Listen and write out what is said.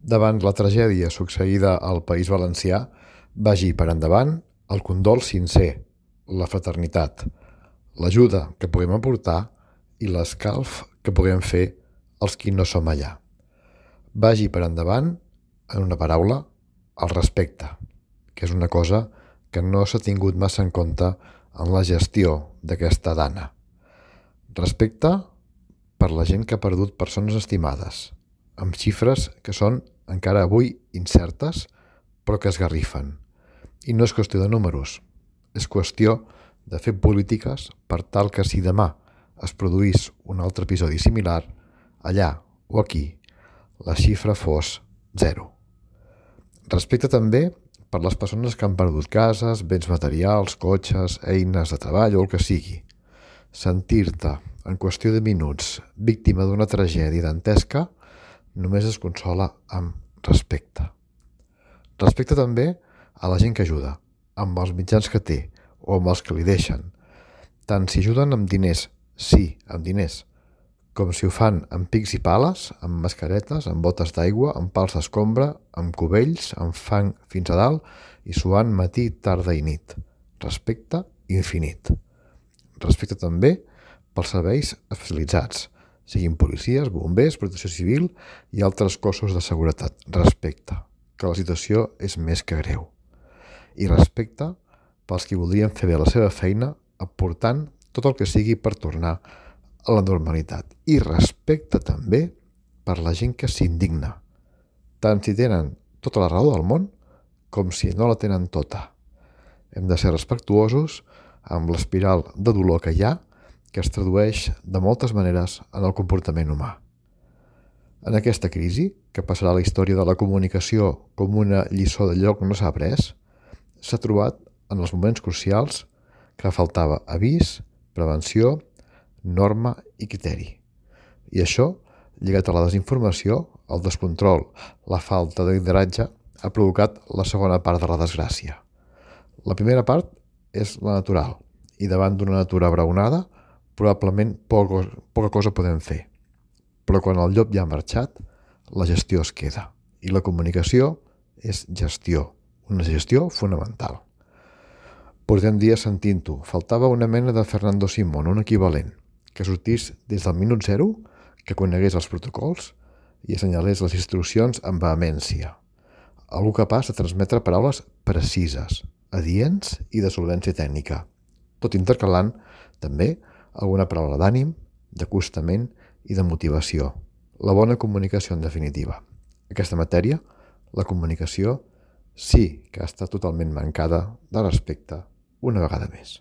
Davant la tragèdia succeïda al País Valencià, vagi per endavant el condol sincer, la fraternitat, l'ajuda que puguem aportar i l'escalf que puguem fer els qui no som allà. Vagi per endavant, en una paraula, el respecte, que és una cosa que no s'ha tingut massa en compte en la gestió d'aquesta dana. Respecte per la gent que ha perdut persones estimades, amb xifres que són encara avui incertes, però que esgarrifen. I no és qüestió de números, és qüestió de fer polítiques per tal que si demà es produís un altre episodi similar, allà o aquí, la xifra fos 0. Respecte també per les persones que han perdut cases, béns materials, cotxes, eines de treball o el que sigui. Sentir-te, en qüestió de minuts, víctima d'una tragèdia dantesca, només es consola amb respecte. Respecte també a la gent que ajuda, amb els mitjans que té o amb els que li deixen. Tant si ajuden amb diners, sí, amb diners, com si ho fan amb pics i pales, amb mascaretes, amb botes d'aigua, amb pals d'escombra, amb cubells, amb fang fins a dalt i suant matí, tarda i nit. Respecte infinit. Respecte també pels serveis especialitzats, siguin policies, bombers, protecció civil i altres cossos de seguretat. Respecte, que la situació és més que greu. I respecte pels qui voldrien fer bé la seva feina aportant tot el que sigui per tornar a la normalitat. I respecte també per la gent que s'indigna, tant si tenen tota la raó del món com si no la tenen tota. Hem de ser respectuosos amb l'espiral de dolor que hi ha, que es tradueix de moltes maneres en el comportament humà. En aquesta crisi, que passarà a la història de la comunicació com una lliçó d'allò que no s'ha après, s'ha trobat en els moments crucials que faltava avís, prevenció, norma i criteri. I això, lligat a la desinformació, el descontrol, la falta de lideratge, ha provocat la segona part de la desgràcia. La primera part és la natural, i davant d'una natura abraonada, probablement poca cosa podem fer. Però quan el llop ja ha marxat, la gestió es queda. I la comunicació és gestió, una gestió fonamental. Portem dies sentint-ho. Faltava una mena de Fernando Simón, un equivalent, que sortís des del minut 0, que conegués els protocols i assenyalés les instruccions amb vehemència. Algú capaç de transmetre paraules precises, adients i de solvència tècnica, tot intercalant també alguna paraula d'ànim, d'acostament i de motivació. La bona comunicació, en definitiva. Aquesta matèria, la comunicació, sí que ha estat totalment mancada de respecte una vegada més.